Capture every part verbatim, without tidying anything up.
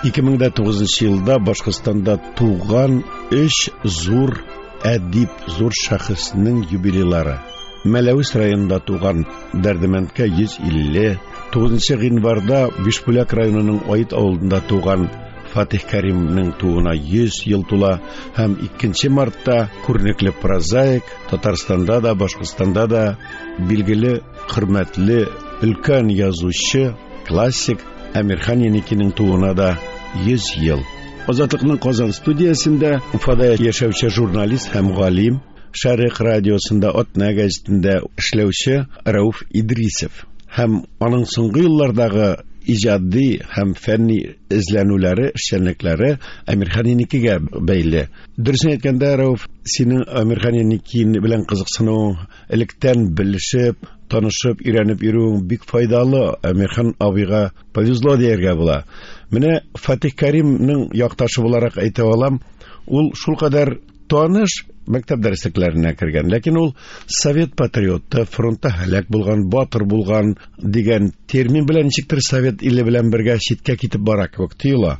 Ике мең дә тугызынчы елда Башкортстанда туган өч зур әдип, зур шәхеснең юбилейлары. Мәләвез районында туган Дәрдемәндкә йөз илле, тугызынчы гыйнварда Бишбүләк районының Аит авылында туган Фатих Кәримнең тууына йөз ел тула һәм икенче мартта күренекле прозаик, Татарстанда да, Башкортстанда да билгеле, хөрмәтле өлкән язучы, классик Әмирхан Еникинең тууына да йөз ел. Азатлыкның Казан студиясендә Уфада яшәүче журналист һәм галим, Шәрык радиосында, Атна гәзитендә эшләүче Рәүф Идрисов һәм аның соңгы еллардагы иҗади һәм фәнни эзләнүләре, эшчәнлекләре Әмирхан Еникигә бәйле. Дөресен әйткәндә, Рәүф, синең Әмирхан Еники белән кызыксынуың, электән белешеп, танышып, өйрәнеп йөрүең бик файдалы. Әмирхан абыйга повезло дияргә була. Менә Фатих Кәримнең якташы буларак әйтә алам, ул шулкадәр таныш мәктәп дәреслекләренә кергән, ләкин ул совет патриоты, фронтта һәлак булган, батыр булган дигән термин белән ничектер совет иле белән бергә читкә китеп бара кебек тоела.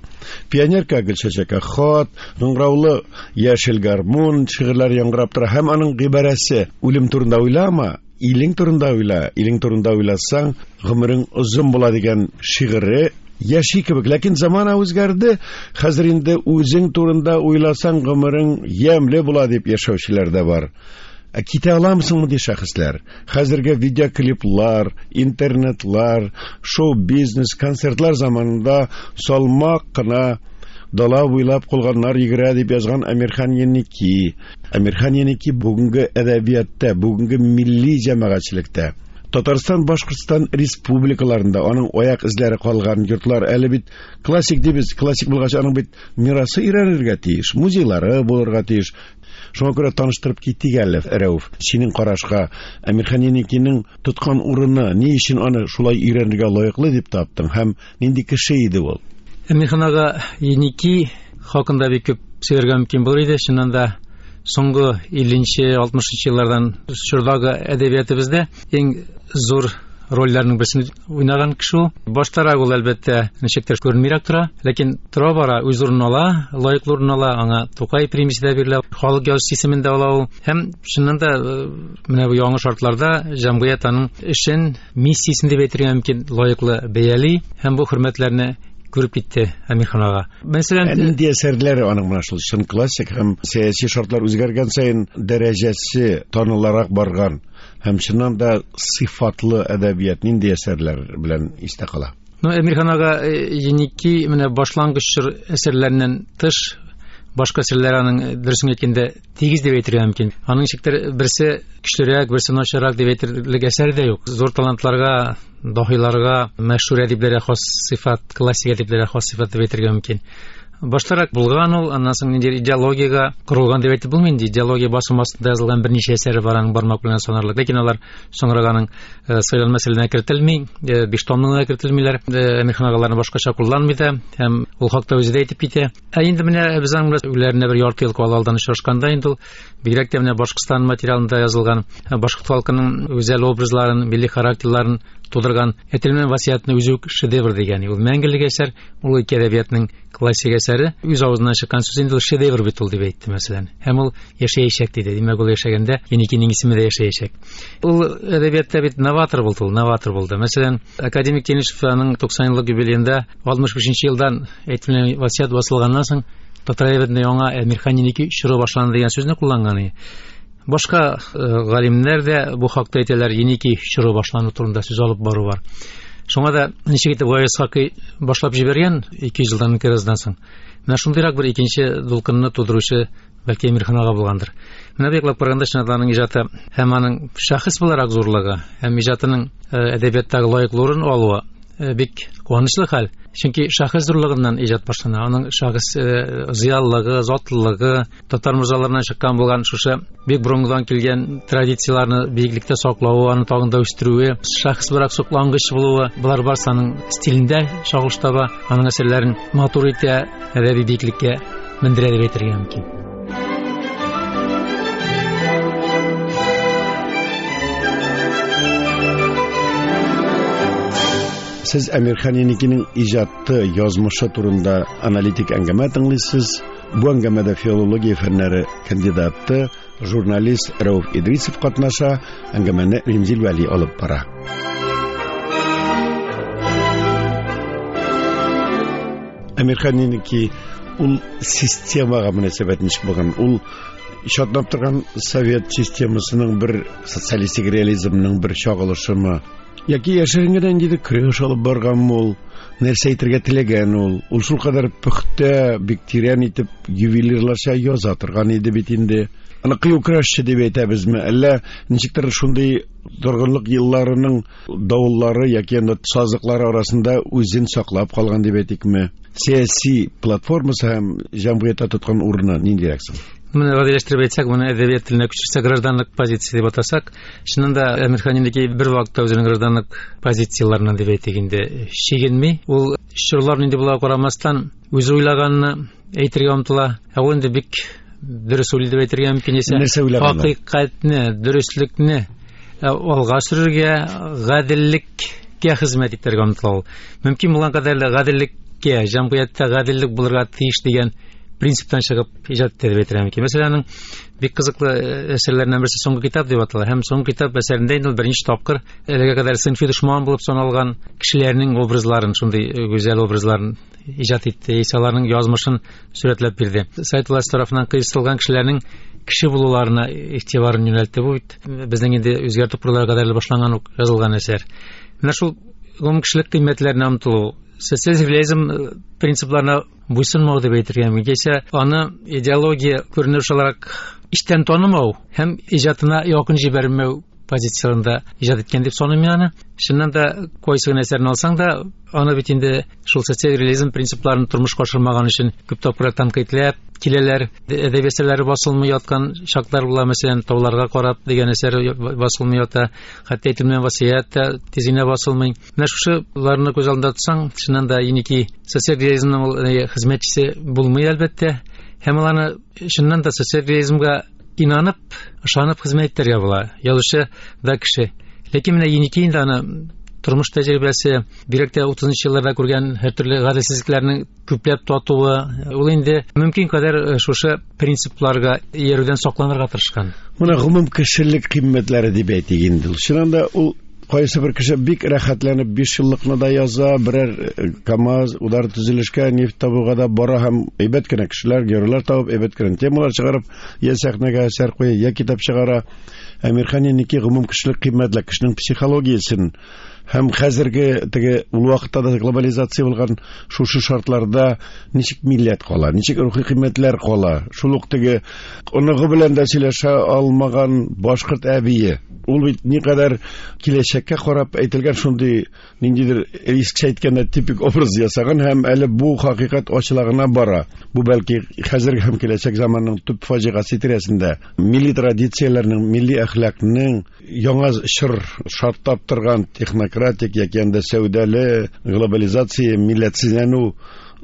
Пионерка Гөлчәчәккә хат, кыңгыраулы яшел гармун шигырьләре яңгырап тора һәм аның гыйбарәсе үлем турында уйлама, илең турында уйла, илең турында уйласаң, гомерең озын була дигән шигыре яши кебек. Ләкин замана үзгәрде. Хәзер инде үзең турында уйласаң, гомерең ямьле була дип яшәүчеләр дә бар. Ә китә аламсың мондый шәхесләр? Хәзерге видеоклиплар, интернетлар, шоу-бизнес, концертлар заманында салмак кына дала буйлап кулганнар йөгерә дип язган Әмирхан Еники. Әмирхан Еники бүгенге әдәбиятта, бүгенге милли җәмәгатьчелектә, Татарстан, Башкортстан республикаларында аның аяк эзләре калган йортлар әле бит классик дибез, классик булгач аның бит мирасы өйрәнергә тиеш, музейлары булырга тиеш. Шуңа күрә таныштырып китик әле, Рәүф. Синең карашка Әмирхан Еникинең тоткан урыны, ни өчен аны шулай өйрәнергә лаеклы дип таптың һәм нинди кеше иде ул? Әмирхан ага Еники хакында бик күп сөйләргә мөмкин булыр иде. Чыннан да соңгы илленче, алтмышынчы еллардан чордагы әдәбиятыбызда иң зур рольләрнең берсен уйнаган кеше ул. Баштарак ул әлбәттә ничектер күренмирәк тора, ләкин тора-бара үз урынын ала, лаеклы урын ала, аңа Тукай премиясе дә бирелә, халык язучысы исемен дә ала ул. Һәм чыннан да, э, менә бу яңа шартларда җәмгыять аның эшен, миссиясен дип әйтергә мөмкин, лаеклы бәяли һәм бу хөрмәтләрне күреп китте Әмирхан ага. Мәсәлән, Ә нинди әсәрләре аның менә шул чын классик һәм сәяси шартлар үзгәргән саен дәрәҗәсе таныларак барган һәм чыннан да сыйфатлы әдәбият нинди әсәрләр белән истә кала? Ну, Әмирхан ага, э, Еники менә башлангыч чор әсәрләреннән тыш башка әсәрләр аның, э, дөресен әйткәндә тигез дип әйтергә мөмкин. Аның ничектер берсе көчлерәк, берсе начаррак дип әйтерлек әсәр дә юк. Зур талантларга, даһиларга, мәшһүр әдипләргә хас сыйфат, классик әдипләргә хас сыйфат дип әйтергә мөмкин. Баштарак булган ул, аннан соң ниндидер идеологиягә корылган дип әйтеп булмый инде. Идеология басым астында язылган берничә әсәре бар, аның бармак белән санарлык. Ләкин алар соңрак аның, э, сайлау мәсьәләсенә кертелми, э, биш томлыгына кертелмиләр. Э, Әмирхан агаларны башкача кулланмый да, һәм ул хакта үзе дә әйтеп китә. Ә инде менә без аның белән үләренә бер ярты ел кала алдан очрашканда инде ул бигрәк тә менә Башкортстан материалында язылган, э, башкорт халкының гүзәл образларын, милли характерларын тудырган Әтилмән васыятны үзе үк шедевр дигән. Ул мәңгелек әсәр, ул ике әдәбиятның классик әсәре. Үз авызыннан чыккан сүз инде ул шедевр бит ул дип әйтте, мәсәлән. Һәм ул яшәячәк диде. Димәк, ул яшәгәндә Еникинең исеме дә яшәячәк. Ул әдәбиятта бит новатор булды ул, новатор булды. Мәсәлән, академик Тенишев аның туксан еллык юбилеенда алтмыш бишенче елдан Әтилмән васыят басылганнан соң татар әдәбиятында яңа Әмирхан Еники чоры башланды дигән сүзне кулланган иде. Башка, э, галимнәр дә бу хакта әйтәләр, Еники чоры башлану турында сүз алып бару бар. Шуңа да ничек итеп Гаяз Исхакый башлап җибәргән ике йөз елдан инкыйраздан соң. Менә шундыйрак бер икенче дулкынны тудыручы бәлки Әмирхан ага булгандыр. Менә бу яклап караганда чынлап аның иҗаты һәм аның шәхес буларак зурлыгы һәм иҗатының, э, әдәбияттагы лаеклы урын алуы, э, бик куанычлы хәл. Чөнки шәхес зурлыгыннан иҗат башлана. Аның шәхес, э, зыялылыгы, затлылыгы, татар морзаларыннан чыккан булган шушы бик борынгыдан килгән традицияләрне биеклектә саклавы, аны тагын да үстерүе, шәхес буларак соклангыч булуы, болар барысы аның стилендә чагылыш таба, аның әсәрләрен матур итә, әдәби биеклеккә мендерә дип әйтергә мөмкин. Сез Әмирхан Еникинең иҗаты, язмышы турында аналитик әңгәмә тыңлыйсыз. Бу әңгәмәдә филология фәннәре кандидаты, журналист Рәүф Идрисов катнаша, әңгәмәне Римзил Вәли алып бара. Әмирхан Еники ул системага мөнәсәбәт ничек булган? Ул чатнап торган совет системасының бер социалистик реализмның бер чагылышымы? Яки яшерен генә ниндидер көрәш алып барганмы ул? Нәрсә әйтергә теләгән ул? Ул шулкадәр пөхтә, бик тирән итеп ювелирларча яза торган иде бит инде. Аны кыю көрәшче дип әйтәбезме? Әллә ничектер шундый торгынлык елларының давыллары яки анда сазлыклары арасында үзен саклап калган дип әйтикме? Сәяси платформасы һәм җәмгыятьтә тоткан урыны ниндирәк соң? Моны гадиләштереп әйтсәк, моны әдәбият теленә күчерсәк, гражданлык позиция дип атасак, чыннан да Әмирхан Еники бер вакытта үзенең гражданлык позицияларыннан дип әйтик инде чигенми. Ул чорлар нинди була карамастан, үзе уйлаганны әйтергә омтыла. Ә ул инде бик дөрес уйлый дип әйтергә мөмкин исә, хакыйкатьне, дөреслекне алга сөрергә, гаделлеккә хезмәт итәргә омтыла ул. Мөмкин булган кадәр гаделлеккә, җәмгыятьтә гаделлек булырга тиеш дигән принциптан чыгып иҗат итә дип әйтергә мөмкин. Мәсәлән, аның бик кызыклы әсәрләреннән берсе Соңгы китап дип атала. Һәм Соңгы китап әсәрендә инде ул берничә тапкыр әлегә кадәр сыйнфый дошман булып саналган кешеләрнең образларын, шундый гүзәл образларын иҗат итте, аларның язмышын сурәтләп бирде. Совет власте тарафыннан кыйсытылган кешеләрнең кеше булуларына игътибарын юнәлтте. Бу бит безнең инде үзгәртеп коруларга кадәр башланган ук язылган әсәр. Менә шул гомумкешелек кыйммәтләренә омтылу, социалист реализм принципларына буйсынмау дип әйтергә мөмкин. Яисә аны идеология күренеш буларак эчтән танымау һәм иҗатына якын җибәрмәү позицияларында иҗат иткән дип саныйм мин аны. Чыннан да кайсы гына әсәрен алсаң да, аны бит инде шул социаль реализм принципларын тормышка ашырмаган өчен күп тапкырлар тәнкыйтьләп киләләр. Әдәби әсәрләре басылмый яткан чаклар була, мәсәлән, Тауларга карап дигән әсәр басылмый ята, хәтта әйтелмәгән васыять тә тиз генә басылмый. Менә шушыларны күз алдында тотсаң, чыннан да Еники социаль реализмның ул хезмәтчесе булмый әлбәттә. Һәм ул аны чыннан да социаль реализмга инанып, ышанып хезмәт итәргә була. Язучы да кеше. Ләкин менә Еники инде аны тормыш тәҗрибәсе, бигрәк тә утызынчы елларда күргән һәртөрле гаделсезлекләрнең күпләп татуы, ул инде мөмкин кадәр шушы принципларга иярүдән сакланырга тырышкан. Моны гомум кешелек кыйммәтләре дип әйтик инде. Чыннан да ул кайсы бер кеше бик рәхәтләнеп биш еллыкны да яза, берәр КАМАЗ, удар төзелешкә, нефть табуга да бара һәм әйбәт кенә кешеләр, геройлар табып, әйбәт кенә темалар чыгарып, я сәхнәгә әсәр куя, я китап чыгара. Әмирхан Еники гомум кешелек кыйммәтләр, кешенең психологиясен һәм хәзерге теге ул вакытта да глобализация булган шушы шартларда ничек милләт кала, ничек рухи кыйммәтләр кала, шул ук теге оныгы белән дә сөйләшә алмаган башкорт әбие, ул бит никадәр киләчәккә карап әйтелгән шундый ниндидер искечә әйткәндә типик образ ясаган һәм әле бу хакыйкать ачыла гына бара. Бу бәлки хәзерге һәм киләчәк заманның төп фаҗигасе тирәсендә милли традицияләрнең, милли әхлакның яңа чор шартлап торган технократик яки анда сәүдәле глобализация, милләтсезләнү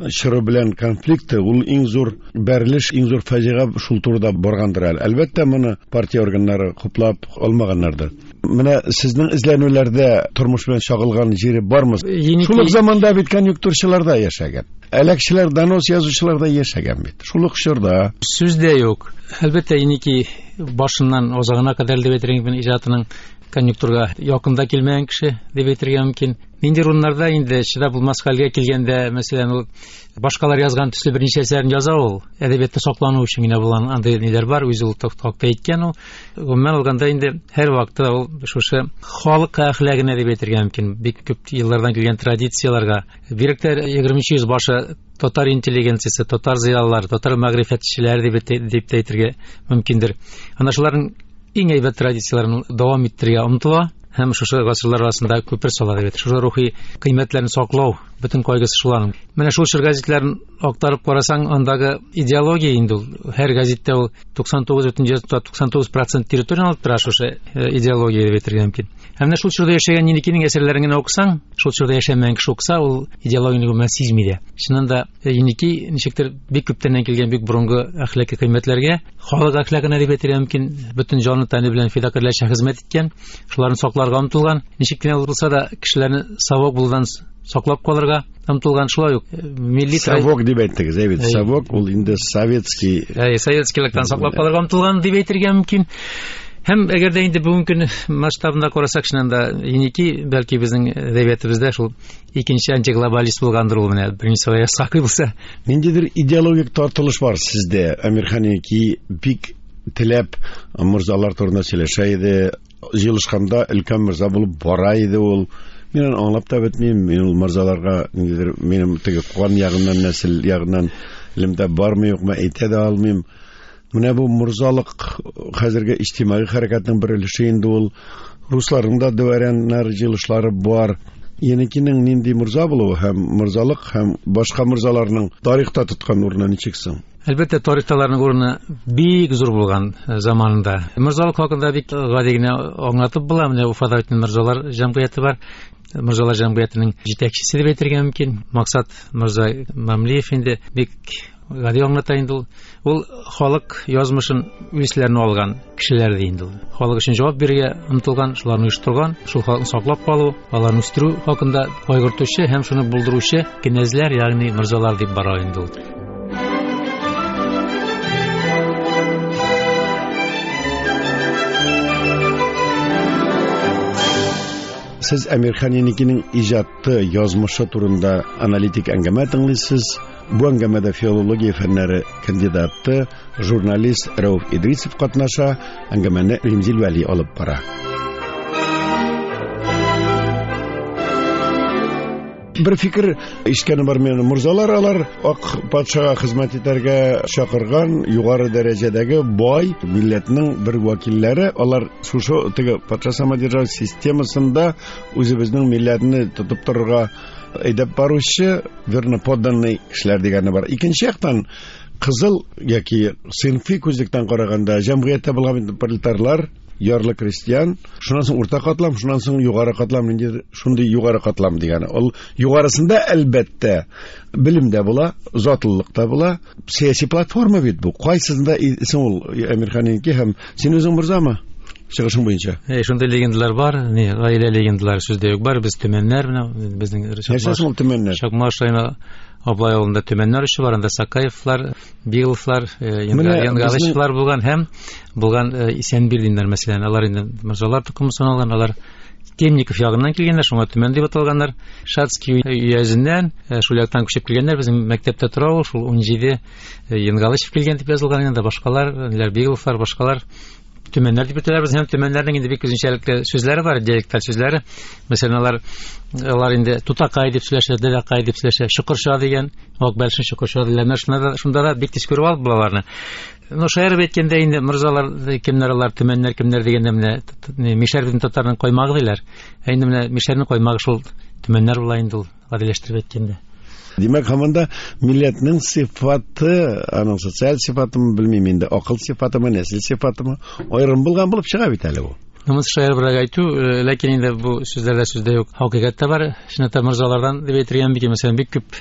чоры белән конфликты, ул иң зур бәрелеш, иң зур фаҗига шул турыда баргандыр әле. Әлбәттә, моны партия органнары хуплап алмаганнардыр. Менә сезнең эзләнүләрдә тормыш белән чагылган җире бармы? Шул ук заманда бит конъюнктурчылар да яшәгән. Әләкчеләр, донос язучылар да яшәгән бит. Шул ук чорда. Сүз дә юк. Әлбәттә, Еники башыннан азагына кадәр дип әйтергә мөмкин, иҗатының конъюнктурга якында килмәгән кеше дип әйтергә мөмкин. Нинди урыннарда инде чыдап булмас хәлгә килгәндә, мәсәлән, ул башкалар язган төсле берничә әсәрен яза ул. Әдәбиятта саклану өчен генә булган андый ниләр бар, үзе ул хакта әйткән ул. Гомумән алганда инде һәр вакытта ул шушы халык әхлагына дип әйтергә мөмкин, бик күп еллардан килгән традицияләргә, бигрәк тә егерменче йөз башы татар интеллигенциясе, татар зыялылары, татар мәгърифәтчеләре дип дип тә әйтергә мөмкиндер. Ана шуларның иң әйбәт традицияләрен дәвам иттерергә омтыла һәм шушы гасырлар арасында күпер сала дип әйтер. Шушы рухи кыйммәтләрне саклау бөтен кайгысы шуларның. Менә шул чор гәзитләрен актарып карасаң, андагы идеология инде ул һәр гәзиттә ул туксан тугыз бөтен туксан тугыз процент территорияне алып тора шушы идеология дип әйтергә мөмкин. Һәм менә шул чорда яшәгән Еникинең әсәрләрен генә укысаң, шул чорда яшәмәгән кеше укыса, ул идеологияне гомумән сизми дә. Чыннан да Еники ничектер бик күптәннән килгән бик борынгы әхлаки кыйммәтләргә, халык әхлагына дип әйтергә мөмкин, бөтен җаны тәне белән фидакарьләрчә хезмәт иткән, шуларны саклап сакларга омтылган, ничек кенә булса да кешеләрне совок булудан саклап калырга омтылган. Шулай ук милли совок дип әйттегез, әй бит, совок ул инде советский, әй, советскийлыктан саклап калырга омтылган дип әйтергә мөмкин. Һәм әгәр дә инде бүгенге көн масштабында карасак, чыннан да Еники бәлки безнең әдәбиятыбызда шул икенче антиглобалист булгандыр ул, менә беренче Сакый булса. Ниндидер идеологик тартылыш бар сездә. Әмирхан Еники бик теләп морзалар турында сөйләшә иде. Җыелышканда өлкән морза булып бара иде ул. Мин аны аңлап та бетмим. Мин ул морзаларга ниндидер минем теге кан ягыннан, нәсел ягыннан элемтә бармы юкмы әйтә дә алмыйм. Менә бу морзалык хәзерге иҗтимаи хәрәкәтнең бер өлеше инде ул. Русларның да дворяннар җыелышлары бар. Еникинең нинди морза булуы һәм морзалык һәм башка морзаларның тарихта тоткан урыны ничек соң? Әлбәттә, тарихта аларның урыны бик зур булган заманында. Морзалык хакында бик гади генә аңлатып була. Менә Уфада бит морзалар җәмгыяте бар. Морзалар җәмгыятенең җитәкчесе дип әйтергә мөмкин. Максат морза Мамлиев инде бик гади аңлата инде ул. Ул халык язмышын үзләренә алган кешеләр ди инде ул. Халык өчен җавап бирергә омтылган, шуларны оештырган, шул халыкны саклап калу, аларны үстерү хакында кайгыртучы һәм шуны булдыручы кенәзләр, ягъни морзалар дип бара инде ул. Сез Әмирхан Еникинең иҗаты, язмышы турында аналитик әңгәмә тыңлыйсыз. Бу әңгәмәдә филология фәннәре кандидаты, журналист Рәүф Идрисов катнаша, әңгәмәне Римзил Вәли алып бара. Бер фикер ишеткәнем бар минем. Морзалар алар ак патшага хезмәт итәргә чакырган югары дәрәҗәдәге бай милләтнең бер вәкилләре. Алар шушы теге патша самодержавие системасында үзебезнең милләтне тотып торырга әйдәп баручы верноподданный кешеләр дигәне бар. Икенче яктан кызыл яки сыйнфый күзлектән караганда җәмгыятьтә булган пролетарлар, ярлы крестьян, шуннан соң урта катлам, шуннан соң югары катлам, ниндидер шундый югары катлам дигәне. Ул югарысында әлбәттә белем дә була, затлылык та була. Сәяси платформа бит бу. Кайсысында соң ул Әмирхан Еники һәм син үзең морзамы? Чыгышың буенча. Әй, шундый легендалар бар, ни, гаилә легендалары сүздә юк бар. Без төмәннәр менә безнең Нәрсә ул төмәннәр? Чакмаш районы Аблай авылында төмәннәр өче бар, анда Сакаевлар, Бигловлар, Янгалышевлар булган һәм булган Исәнбирдиннәр, мәсәлән, алар инде морзалар токымы саналган, алар Темников ягыннан килгәннәр, шуңа төмән дип аталганнар. Шацкий өязеннән, шул яктан күчеп килгәннәр, безнең мәктәптә тора ул, шул ун җиде Янгалышев килгән дип язылган, инде башкалар, Бигловлар, башкалар төмәннәр дип әйтәләр. Һәм төмәннәрнең инде бик үзенчәлекле сүзләре бар, диалекталь сүзләре. Мәсәлән, алар алар инде тутакай дип сөйләшә, дәдәкай дип сөйләшә, чокырша дигән, ак бәлшен чокырша диләр. Шунда да, шунда да бик тиз күреп алып була аларны. Ну, шаярып әйткәндә инде морзалар кемнәр алар, төмәннәр кемнәр дигәндә менә мишәр белән татарның каймагы диләр. Ә инде менә мишәрнең каймагы шул төмәннәр була инде ул, гадиләштереп әйткәндә. Димәк, һаман да милләтнең сыйфаты, аның социаль сыйфатымы, белмим инде, акыл сыйфатымы, нәсел сыйфатымы аерым булган булып чыга бит әле бу. Намус шаярыбрак әйтү, ләкин инде бу сүзләрдә сүздә юк, хакыйкать тә бар. Чынлап та морзалардан дип әйтергә мөмкин, мәсәлән, бик күп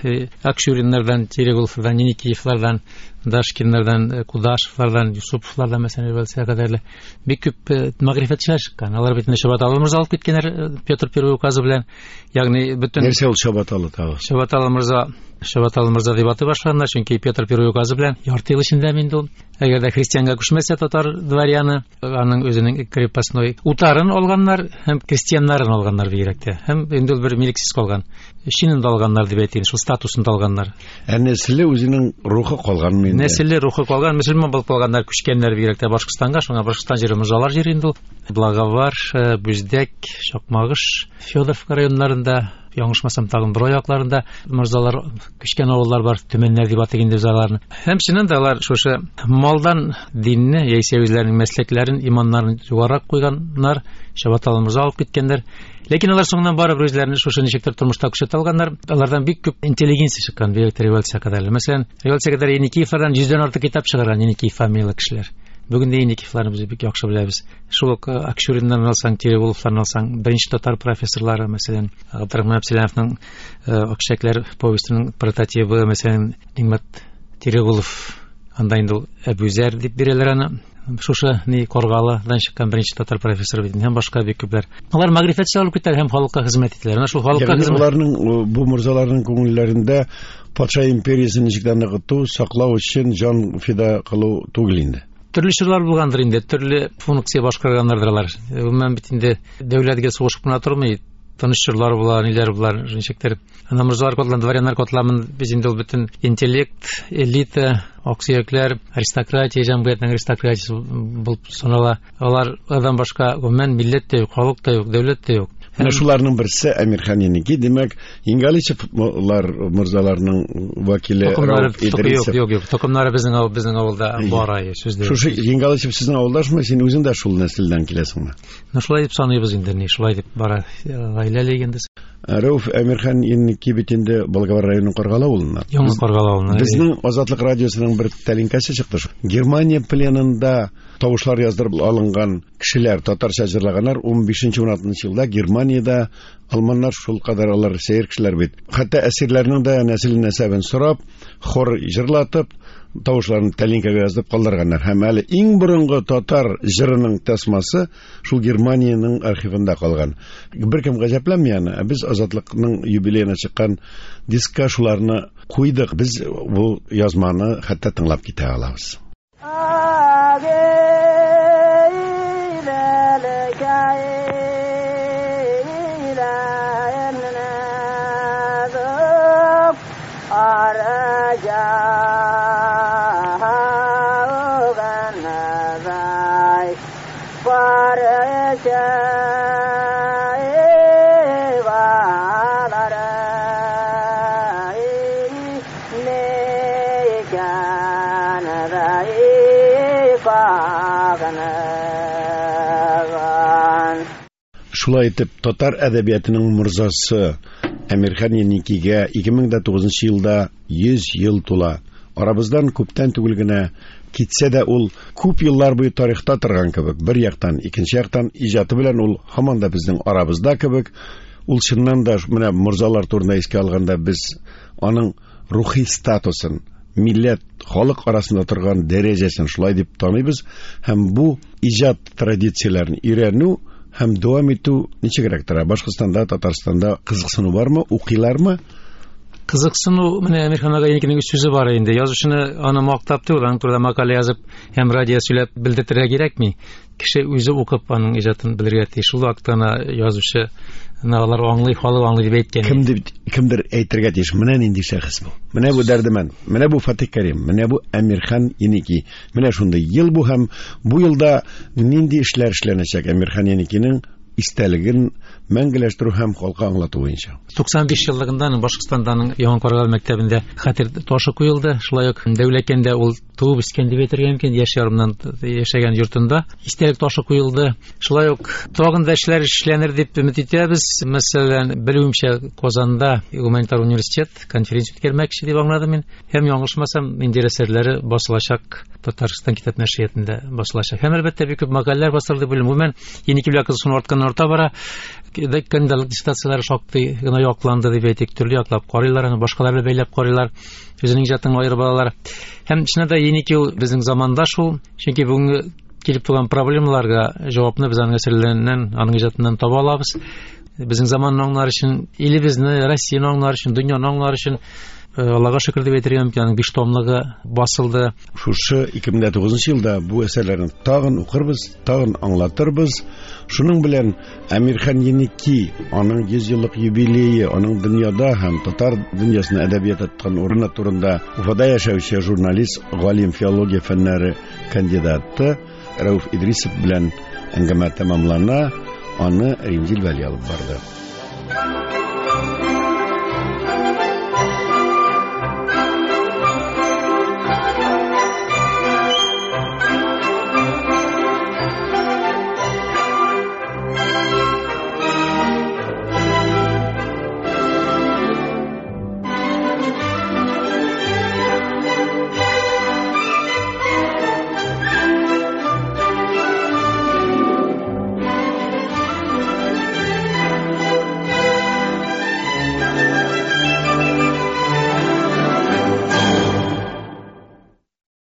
Акчуриннардан, Терегуловлардан, Еникиевлардан, Дашкиннардан, Кудашевлардан, Юсуповлардан, мәсәлән, революция кадәрле бик күп мәгърифәтчеләр чыккан. Алар бит инде Чабаталы морза алып киткәннәр Петр Первый указы белән. Ягъни бөтен Нәрсә ул Чабаталы тагы? Чабаталы морза, Чабаталы морза дип атый башлаганнар, чөнки Петр Первый указы белән ярты ел эчендә инде ул. Әгәр дә христианга күчмәсә татар дворяны, аның үзенең крепостной утарын алганнар һәм крестьяннарын алганнар бигрәк тә. Һәм инде ул бер милексез калган. Шинен дә алганнар дип әйтәйин, шул статусын да алганнар. Ә нәселе үзенең рухы калганмы инде? Нәселе рухы калган, мөселман булып калганнар, күчкәннәр бигрәк тә Башкортстанга, шуңа Башкортстан җире морзалар җире инде ул. Благовар, Бүздәк, Чакмагыш, Федоровка районнарында, яңышмасам тагын бер аякларында морзалар күчкән авыллар бар, төмәннәр дип атый инде без аларны. Һәм чыннан да алар шушы малдан динне яисә үзләренең мәсләкләрен, иманнарын югарырак куйганнар, Чабаталы морза алып киткәннәр. Ләкин алар соңыннан барыбер үзләрен шушы ничектер тормышта күрсәтә алганнар. Алардан бик күп интеллигенция чыккан, бигрәк тә революция кадәрле. Мәсәлән, революция кадәр Еникиевлардан йөздән артык китап чыгарган Еникиев фамилияле кешеләр. Бүген дә Еникиевларны без бик яхшы беләбез. Шул ук Акчуриннан алсаң, Терегуловлардан алсаң, беренче татар профессорлары, мәсәлән, Габдрахман Әбсәләмовның Акчәкләр повестенең прототибы, мәсәлән, Ниғмәт Терегулов, анда инде ул Әбүзәр дип бирәләр аны. Шушы ни Каргалыдан чыккан беренче татар профессоры бит һәм башка бик күпләр. Алар мәгърифәтче алып китәләр һәм халыкка хезмәт итәләр. Менә шул халыкка хезмәт. Аларның бу морзаларның күңелләрендә патша империясен ничек тә ныгыту, саклау өчен җан фида кылу түгел инде. Төрле чорлар булгандыр инде, төрле функция башкарганнардыр алар. Гомумән бит инде дәүләткә сугышып кына тормый, тыныч чорлар була, ниләр була, ничектер. Ана морзалар котлан, дворяннар котламын без инде ул бөтен интеллект, элита, аксөякләр, аристократия, җәмгыятьнең аристократиясе булып санала. Алардан башка гомумән милләт тә юк, халык та юк, дәүләт тә юк. Менә шуларның берсе Әмирхан Еники, димәк, Енгаличевлар морзаларның вәкиле Рәүф Идрисов. Юк, юк, юк, токымнары безнең авыл, безнең авылда бар, әйе, сүз дә. Шушы Енгаличев сезнең авылдашмы? Син үзең дә шул нәселдән киләсеңме? Ну, шулай дип саныйбыз инде, ни, шулай дип бара гаиләле инде. Рәүф Әмирхан Еники бит инде Болгар районының Каргалы авылыннан. Яңа Каргалы авылыннан. Безнең Азатлык радиосының бер тәлинкәсе чыкты. Германия пленында тавышлар яздырып алынган кешеләр татарча җырлаганнар ун бишенче ун алтынчы елда Германиядә алманнар шул кадәр алар сәер кешеләр бит. Хәтта әсирләрнең дә нәсел нәсәбен сорап, хор җырлатып, тавышларын тәлинкәгә яздырып калдырганнар. Һәм әле иң борынгы татар җырының тасмасы шул Германиянең архивында калган. Беркем гаҗәпләнми аны. Ә без Азатлыкның юбилеена чыккан дискка шуларны куйдык. Без бу язманы хәтта тыңлап китә алабыз. Шулай итеп, татар әдәбиятының морзасы Әмирхан Еникигә ике мең дә тугызынчы елда йөз ел тула. Арабыздан күптән түгел генә китсә дә ул күп еллар буе тарихта торган кебек, бер яктан, икенче яктан иҗаты белән ул һаман да безнең арабызда кебек. Ул чыннан да менә морзалар турында искә алганда без аның рухи статусын, милләт, халык арасында торган дәрәҗәсен шулай дип таныйбыз һәм бу иҗат традицияләрен өйрәнү һәм дәвам итү ничегрәк тора? Башкортстанда, Татарстанда кызыксыну бармы, укыйлармы? Кызыксыну, менә Әмирхан ага Еникинең үз сүзе бар инде. Язучыны аны мактап түгел, аның турында мәкалә язып һәм радио сөйләп белдертергә кирәкми. Кеше үзе укып аның иҗатын белергә тиеш. Шул вакытта гына язучы алар аңлый, халык аңлый дип әйткән. Кем дип, кемдер әйтергә тиеш. Менә нинди шәхес бу. Менә бу Дәрдемәнд, менә бу Фатих Кәрим, менә бу Әмирхан Еники. Менә шундый ел бу һәм бу елда нинди эшләр эшләнәчәк Әмирхан Еникинең истәлеген мәңгеләштерү һәм халыкка аңлату буенча. Туксан биш еллыгында Башкортстанданың Яңа Каргалы мәктәбендә хәтер ташы куелды. Шулай ук Дәүләкәндә ул туып үскән дип әйтергә мөмкин, яшь ярымнан яшәгән йортында истәлек ташы куелды. Шулай ук тагын да эшләр эшләнер дип өмет итәбез. Мәсәлән, белүемчә, Казанда гуманитар университет конференция үткәрмәкче дип аңладым мин. Һәм яңлышмасам, инде әсәрләре басылачак, Татарстан китап нәшриятында басылачак. Һәм әлбәттә бик күп мәкаләләр басылды. Гомумән, Еники белән кызыксыну артканнан арта бара. Кандидалык диссертацияләре шактый гына якланды дип әйтик, төрле яклап карыйлар, аны башкалар белән бәйләп карыйлар, үзенең иҗатын аерып алалар. Һәм чыннан да Еники ул безнең заманда шул, чөнки бүгенге килеп туган проблемаларга җавапны без аның әсәрләреннән, аның иҗатыннан таба алабыз. Безнең заманны аңлар өчен, илебезне, Россияне аңлар өчен, дөньяны аңлар өчен Аллага шөкер дип әйтергә мөмкин, аның биш томлыгы басылды. Шушы ике мең дә тугызынчы елда бу әсәрләрне тагын укырбыз, тагын аңлатырбыз. Шуның белән Әмирхан Еники, аның йөз еллык юбилее, аның дөньяда һәм татар дөньясында әдәбият тоткан урыны турында Уфада яшәүче журналист, галим, филология фәннәре кандидаты Рәүф Идрисов белән әңгәмә тәмамлана. Аны Римзил Вәли алып барды.